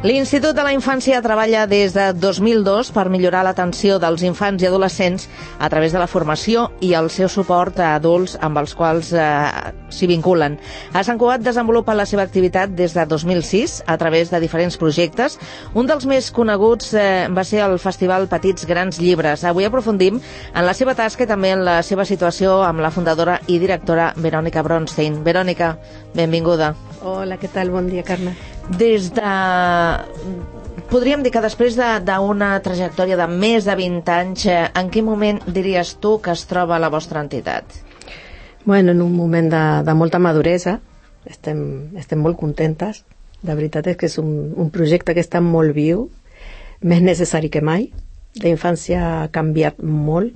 L'Institut de la Infància treballa des de 2002 per millorar l'atenció dels infants i adolescents a través de la formació i el seu suport a adults amb els quals s'hi vinculen. A Sant Cugat desenvolupa la seva activitat des de 2006 a través de diferents projectes. Un dels més coneguts va ser el Festival Petits Grans Llibres. Avui aprofundim en la seva tasca i també en la seva situació amb la fundadora i directora Verònica Bronstein. Verònica, benvinguda. Hola, què tal? Bon dia, Carme. Podríem dir que després d'una trajectòria de més de 20 anys, en quin moment diries tu que es troba la vostra entitat? Bueno, en un moment de molta maduresa, estem molt contentes. La veritat és que és un projecte que està molt viu, més necessari que mai. La infància ha canviat molt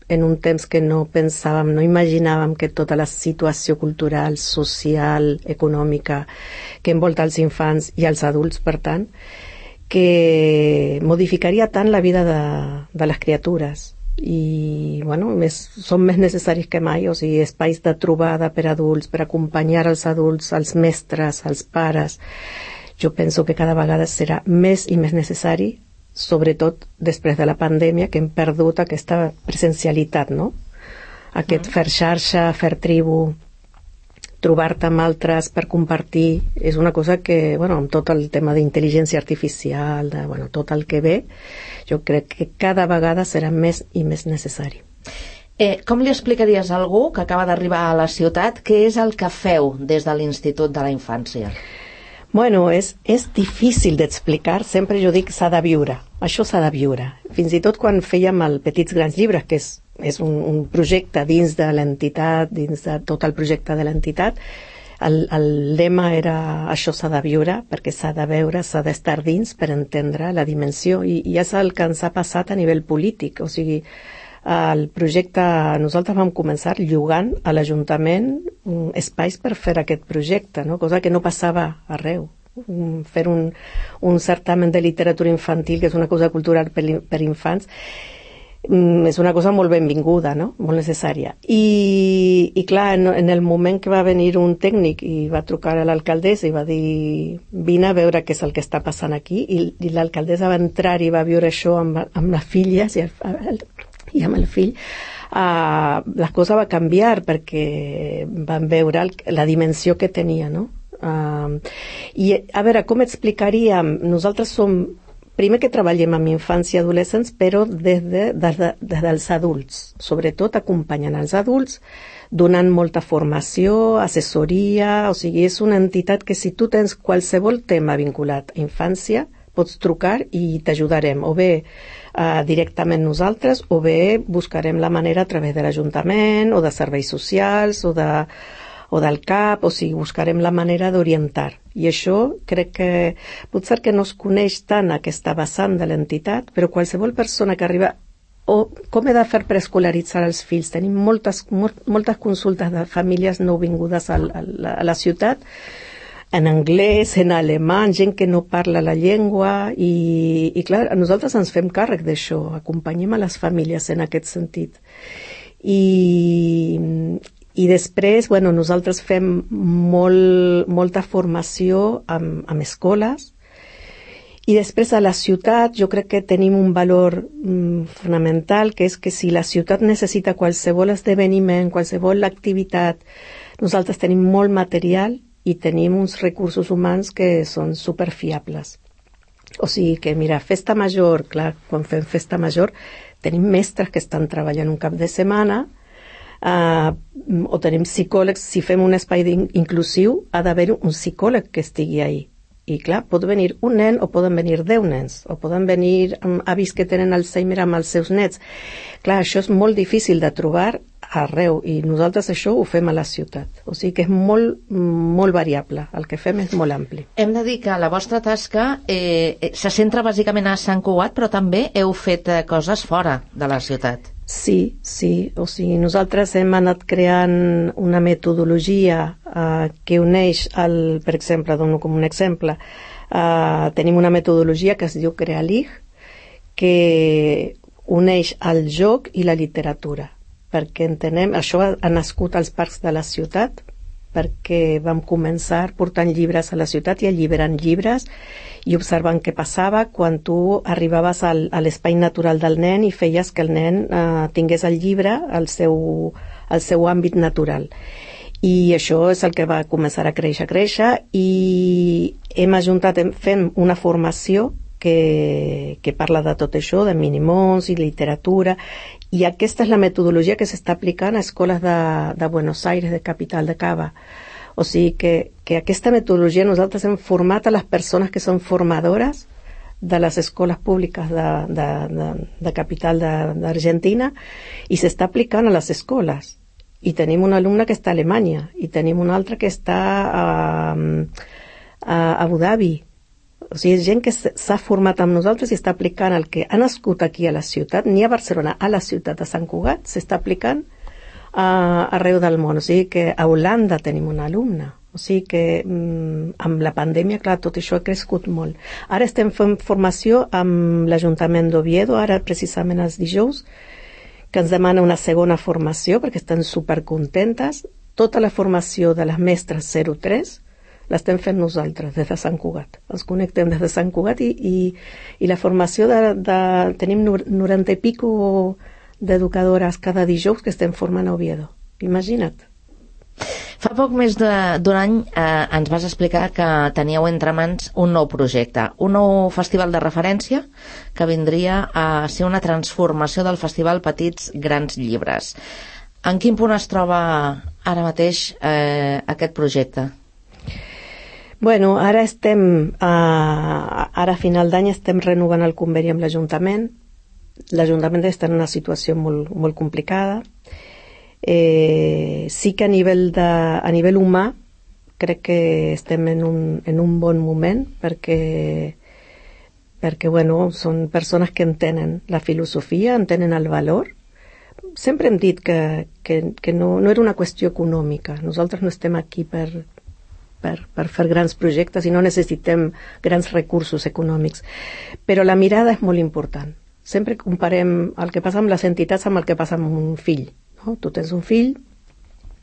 en un temps que no pensàvem, no imaginàvem que tota la situació cultural, social, econòmica que envolta els infants i els adults, per tant, que modificaria tant la vida de les criatures. I, bueno, són més necessaris que mai, o sigui, espais de trobada per adults, per acompanyar els adults, els mestres, els pares. Jo penso que cada vegada serà més i més necessari, sobretot després de la pandèmia, que hem perdut aquesta presencialitat, no? Aquest fer xarxa, fer tribu, trobar-te amb altres per compartir, és una cosa que, bueno, amb tot el tema d'intel·ligència artificial, tot el que ve, jo crec que cada vegada serà més i més necessari. Com li explicaries a algú que acaba d'arribar a la ciutat què és el que feu des de l'Institut de la Infància? Bueno, és difícil d'explicar, sempre jo dic s'ha de viure, això s'ha de viure. Fins i tot quan fèiem el Petits Grans Llibres, que és un projecte dins de l'entitat, dins de tot el projecte de l'entitat, el lema era això s'ha de viure, perquè s'ha de veure, s'ha d'estar dins per entendre la dimensió, i és el que ens ha passat a nivell polític, o sigui, el projecte, nosaltres vam començar llogant a l'Ajuntament espais per fer aquest projecte, no? Cosa que no passava arreu. Fer un certamen de literatura infantil, que és una cosa cultural per infants, és una cosa molt benvinguda, no? Molt necessària. I clar, en el moment que va venir un tècnic i va trucar a l'alcaldessa i va dir vine a veure què és el que està passant aquí, i l'alcaldessa va entrar i va viure això amb les filles i amb el fill, la cosa va canviar perquè van veure la dimensió que tenia, no? I a veure, com explicaríem? Nosaltres som, primer que treballem amb infants i adolescents, però des dels adults, sobretot acompanyant els adults, donant molta formació, assessoria, o sigui, és una entitat que si tu tens qualsevol tema vinculat a infància, pots trucar i t'ajudarem, o bé directament nosaltres, o bé buscarem la manera a través de l'Ajuntament, o de serveis socials, o del CAP, o sigui, buscarem la manera d'orientar. I això crec que potser que no es coneix tant aquesta vessant de l'entitat, però qualsevol persona que arriba, o com he de fer per escolaritzar els fills, tenim moltes consultes de famílies nouvingudes a la ciutat, en anglès, en alemany, gent que no parla la llengua, i clar, nosaltres ens fem càrrec d'això, acompanyem a les famílies en aquest sentit. I després, bueno, nosaltres fem molta formació amb escoles, i després a la ciutat jo crec que tenim un valor fonamental, que és que si la ciutat necessita qualsevol esdeveniment, qualsevol activitat, nosaltres tenim molt material i tenim uns recursos humans que són superfiables. O sigui que, mira, festa major, clar, quan fem festa major, tenim mestres que estan treballant un cap de setmana, o tenim psicòlegs. Si fem un espai inclusiu, ha d'haver un psicòleg que estigui ahí. I clar, pot venir un nen o poden venir 10 nens, o poden venir avis que tenen Alzheimer amb els seus nets. Clar, això és molt difícil de trobar arreu, i nosaltres això ho fem a la ciutat. O sigui que és molt variable, el que fem és molt ampli. Hem de dir que la vostra tasca se centra bàsicament a Sant Cugat, però també heu fet coses fora de la ciutat. Sí, o sigui, nosaltres hem anat creant una metodologia que uneix, per exemple, dono com un exemple, tenim una metodologia que es diu Crealig, que uneix el joc i la literatura, perquè entenem, això ha nascut als parcs de la ciutat, perquè vam començar portant llibres a la ciutat i alliberant llibres i observant què passava quan tu arribaves a l'espai natural del nen i feies que el nen tingués el llibre al seu àmbit natural. I això és el que va començar a créixer i hem ajuntat, fem una formació que parla de tot això, de minimons i literatura, i aquesta és la metodologia que s'està aplicant a escoles de Buenos Aires, de capital de Cava. O sigui que aquesta metodologia nosaltres hem format a les persones que són formadores de les escoles públiques de capital d'Argentina i s'està aplicant a les escoles. I tenim un alumne que està a Alemanya i tenim un altre que està a Abu Dhabi. O sigui, és gent que s'ha format amb nosaltres i està aplicant el que ha nascut aquí a la ciutat, ni a Barcelona, a la ciutat de Sant Cugat, s'està aplicant arreu del món. O sigui que a Holanda tenim un alumne. O sigui que amb la pandèmia, clar, tot això ha crescut molt. Ara estem fent formació amb l'Ajuntament d'Oviedo, ara precisament els dijous, que ens demana una segona formació perquè estan supercontentes. Tota la formació de les mestres 03 l'estem fent nosaltres des de Sant Cugat. Ens connectem des de Sant Cugat i la formació tenim 90 i pico d'educadores cada dijous que estem formant a Oviedo. Imagina't. Fa poc més d'un any ens vas explicar que teníeu entre mans un nou projecte, un nou festival de referència que vindria a ser una transformació del festival Petits Grans Llibres. En quin punt es troba ara mateix aquest projecte? Bueno, ara a final d'any estem renovant el conveni amb l'Ajuntament. L'Ajuntament està en una situació molt, molt complicada. Sí que a nivell humà crec que estem en un bon moment perquè bueno, són persones que entenen la filosofia, entenen el valor. Sempre hem dit que no era una qüestió econòmica. Nosaltres no estem aquí per fer grans projectes i no necessitem grans recursos econòmics. Però la mirada és molt important. Sempre comparem el que passa amb les entitats amb el que passa amb un fill. No? Tu tens un fill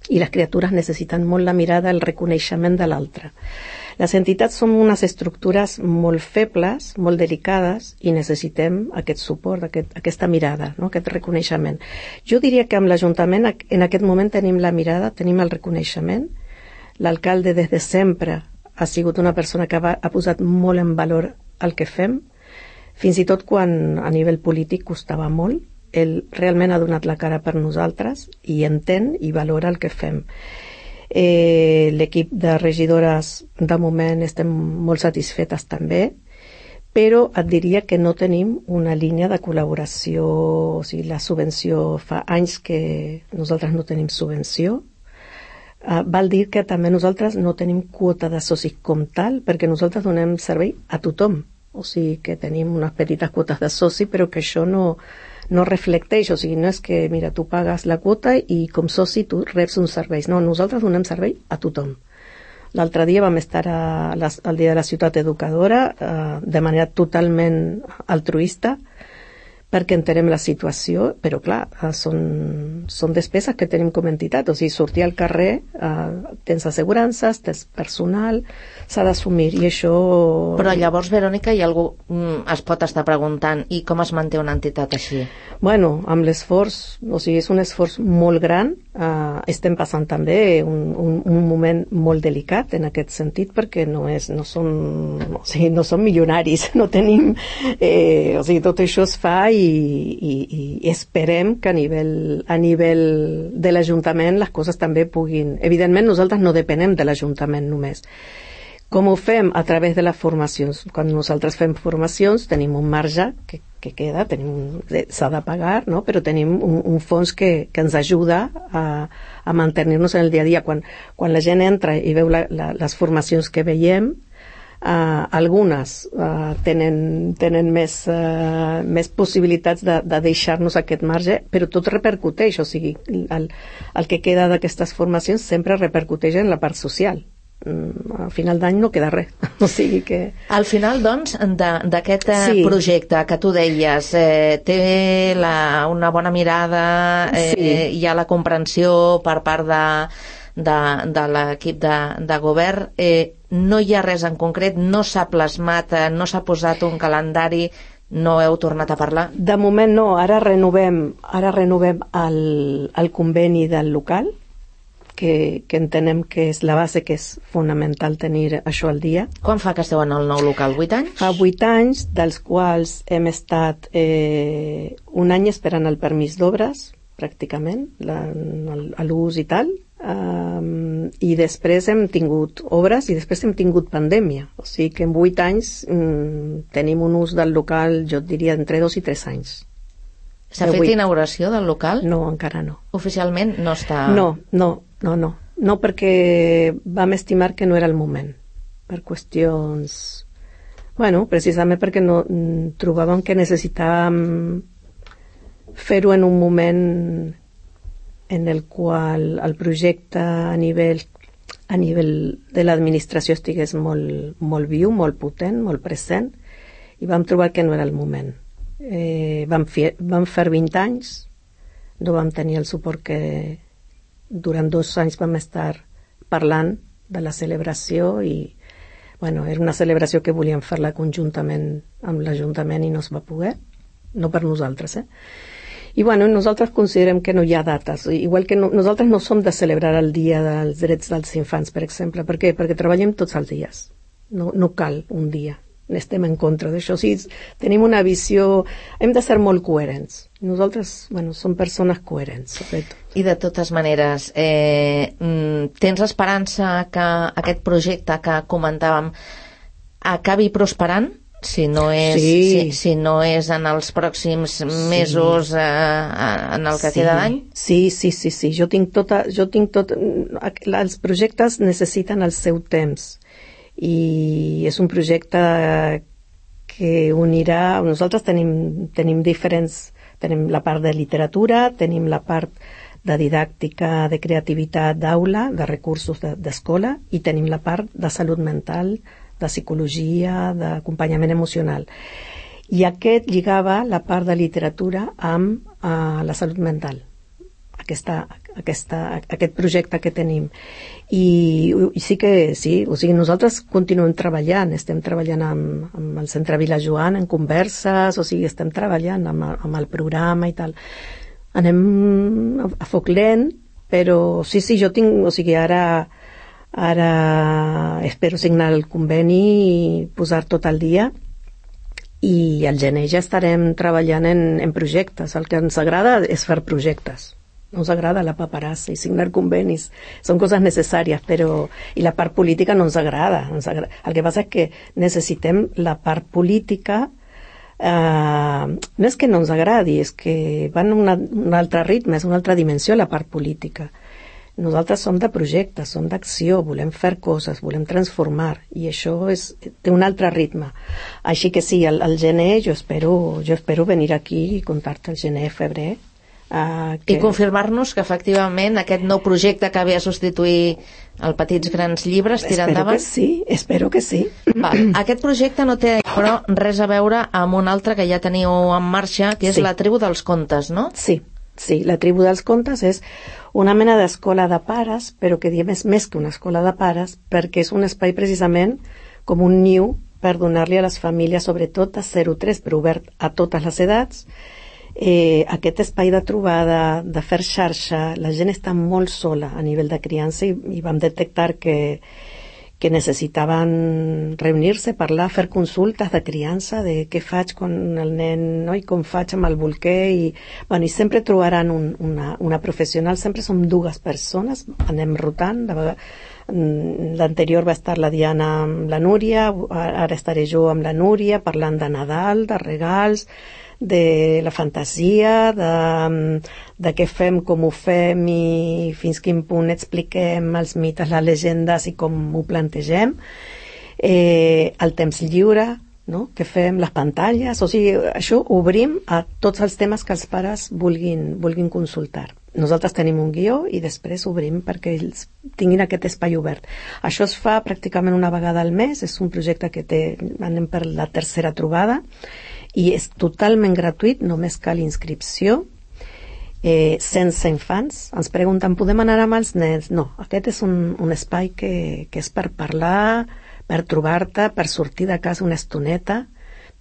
i les criatures necessiten molt la mirada, el reconeixement de l'altre. Les entitats són unes estructures molt febles, molt delicades i necessitem aquest suport, aquesta mirada, no? Aquest reconeixement. Jo diria que amb l'Ajuntament en aquest moment tenim la mirada, tenim el reconeixement. L'alcalde des de sempre ha sigut una persona que ha posat molt en valor el que fem, fins i tot quan a nivell polític costava molt. Ell realment ha donat la cara per nosaltres i entén i valora el que fem. L'equip de regidores, de moment, estem molt satisfetes també, però et diria que no tenim una línia de col·laboració, o sigui, la subvenció, fa anys que nosaltres no tenim subvenció. Val dir que també nosaltres no tenim quota de socis com tal, perquè nosaltres donem servei a tothom. O sigui que tenim unes petites quotes de soci, però que això no reflecteix. O sigui, no és que, mira, tu pagues la quota i com soci tu reps uns serveis. No, nosaltres donem servei a tothom. L'altre dia vam estar al Dia de la Ciutat Educadora de manera totalment altruista, perquè entenem la situació, però clar, són despeses que tenim com a entitat, o sigui, sortir al carrer, tens assegurances, tens personal, s'ha d'assumir, i això... Però llavors, Verònica, hi ha algú es pot estar preguntant, i com es manté una entitat així? Bueno, amb l'esforç, o sigui, és un esforç molt gran, estem passant també un moment molt delicat en aquest sentit, perquè no som milionaris, no tenim... o sigui, tot això es fa i esperem que a nivell de l'Ajuntament les coses també puguin... Evidentment, nosaltres no depenem de l'Ajuntament només. Com ho fem? A través de les formacions. Quan nosaltres fem formacions tenim un marge que queda, s'ha de pagar, no? Però tenim un fons que ens ajuda a mantenir-nos en el dia a dia. Quan la gent entra i veu les formacions que veiem, algunes tenen més possibilitats de deixar-nos aquest marge, però tot repercuteix, o sigui, el que queda d'aquestes formacions sempre repercuteix en la part social. Al final d'any no queda res. O sigui que... Al final, doncs, d'aquest projecte que tu deies, té una bona mirada, hi ha la comprensió per part de l'equip de govern. No hi ha res en concret, no s'ha plasmat, no s'ha posat un calendari, no heu tornat a parlar? De moment no, ara renovem el conveni del local, que entenem que és la base, que és fonamental tenir això al dia. Quan fa que esteu en el nou local? 8 anys? Fa 8 anys, dels quals hem estat un any esperant el permís d'obres, pràcticament, l'ús i tal, i després hem tingut obres i després hem tingut pandèmia. O sigui que en 8 anys tenim un ús del local, jo et diria, entre 2 i 3 anys. S'ha fet inauguració del local? No, encara no. Oficialment no està... No, perquè vam estimar que no era el moment, per qüestions... Bueno, precisament perquè no trobàvem que necessitàvem fer-ho en un moment en el qual el projecte a nivell de l'administració estigués molt viu, molt potent, molt present, i vam trobar que no era el moment. Vam fer 20 anys, no vam tenir el suport que durant 2 anys vam estar parlant de la celebració i bueno, era una celebració que volíem fer-la conjuntament amb l'Ajuntament i no es va poder, no per nosaltres, I bueno, nosaltres considerem que no hi ha dates, igual que nosaltres no som de celebrar el Dia dels Drets dels Infants, per exemple. Per què? Perquè treballem tots els dies, no cal un dia. Estem en contra d'això. O sigui, tenim una visió... Hem de ser molt coherents. Nosaltres, bueno, som persones coherents, sobretot. I de totes maneres, tens esperança que aquest projecte que comentàvem acabi prosperant? Si no és en els pròxims mesos, en el que queda d'any? Sí. Jo tinc tot... Els projectes necessiten el seu temps. I és un projecte que unirà... Nosaltres tenim diferents... Tenim la part de literatura, tenim la part de didàctica, de creativitat d'aula, de recursos d'escola, i tenim la part de salut mental, de psicologia, d'acompanyament emocional. I aquest lligava la part de literatura amb la salut mental. Aquest projecte que tenim. I sí, o sigui, nosaltres continuem treballant, estem treballant amb el Centre Vila Joan en converses, o sigui, estem treballant amb el programa i tal. Anem a foc lent, però sí, jo tinc, o sigui, ara espero signar el conveni i posar tot al dia, i al gener ja estarem treballant en projectes. El que ens agrada és fer projectes. No ens agrada la paperassa i signar convenis. Són coses necessàries, però... I la part política no ens agrada. El que passa és que necessitem la part política... no és que no ens agradi, és que va en un altre ritme, és una altra dimensió la part política. Nosaltres som de projectes, som d'acció, volem fer coses, volem transformar, i això té un altre ritme. Així que sí, al gener jo espero venir aquí i contar-te el gener, febrer, i confirmar-nos que efectivament aquest nou projecte que ve a substituir el Petits Grans Llibres tira endavant? Espero que sí. Aquest projecte no té però res a veure amb un altre que ja teniu en marxa, que és la Tribu dels Contes, no? Sí, la Tribu dels Contes és una mena d'escola de pares, però que diem és més que una escola de pares, perquè és un espai precisament com un niu per donar-li a les famílies, sobretot a 0-3, però obert a totes les edats, aquest espai de trobada, de fer xarxa. La gent està molt sola a nivell de criança i vam detectar que necessitaven reunir-se, parlar, fer consultes de criança, de què faig amb el nen, no? I com faig amb el bolquer, i sempre trobaran una professional. Sempre som 2 persones, anem rotant. L'anterior va estar la Diana amb la Núria, ara estaré jo amb la Núria parlant de Nadal, de regals, de la fantasia, de què fem, com ho fem i fins quin punt expliquem els mites, les llegendes i com ho plantegem. El temps lliure, no? Què fem, les pantalles, o sigui, això obrim a tots els temes que els pares vulguin consultar. Nosaltres tenim un guió i després obrim perquè ells tinguin aquest espai obert. Això es fa pràcticament una vegada al mes, és un projecte que anem per la 3a trobada, i és totalment gratuït, només cal inscripció, sense infants. Ens pregunten, podem anar amb els nens? No, aquest és un espai que és per parlar, per trobar-te, per sortir de casa una estoneta,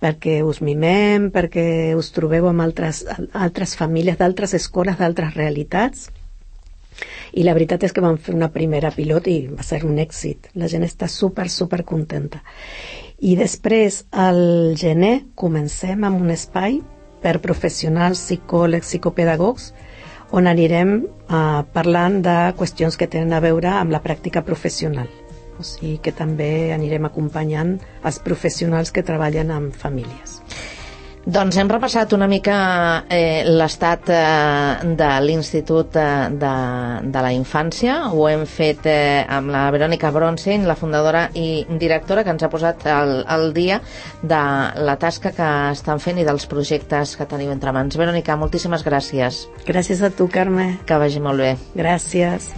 perquè us mimem, perquè us trobeu amb altres famílies, d'altres escoles, d'altres realitats. I la veritat és que vam fer una primera pilot i va ser un èxit. La gent està super contenta. I després, al gener, comencem amb un espai per professionals, psicòlegs, psicopedagogs, on anirem parlant de qüestions que tenen a veure amb la pràctica professional. O sigui que també anirem acompanyant els professionals que treballen amb famílies. Doncs hem repassat una mica l'estat de l'Institut de la Infància. Ho hem fet amb la Verònica Bronstein, la fundadora i directora, que ens ha posat al dia de la tasca que estan fent i dels projectes que teniu entre mans. Verònica, moltíssimes gràcies. Gràcies a tu, Carme. Que vagi molt bé. Gràcies.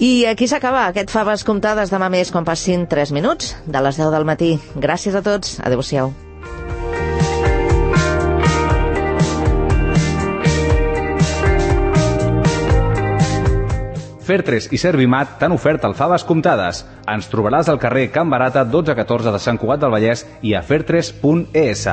I aquí s'acaba aquest Faves Comptades. Demà més quan passin 3 minuts de les 10 del matí. Gràcies a tots. Adéu-siau. Fertres i Servimat t'han ofert el Faves Comptades. Ens trobaràs al carrer Can Barata 1214 de Sant Cugat del Vallès i a fertres.es.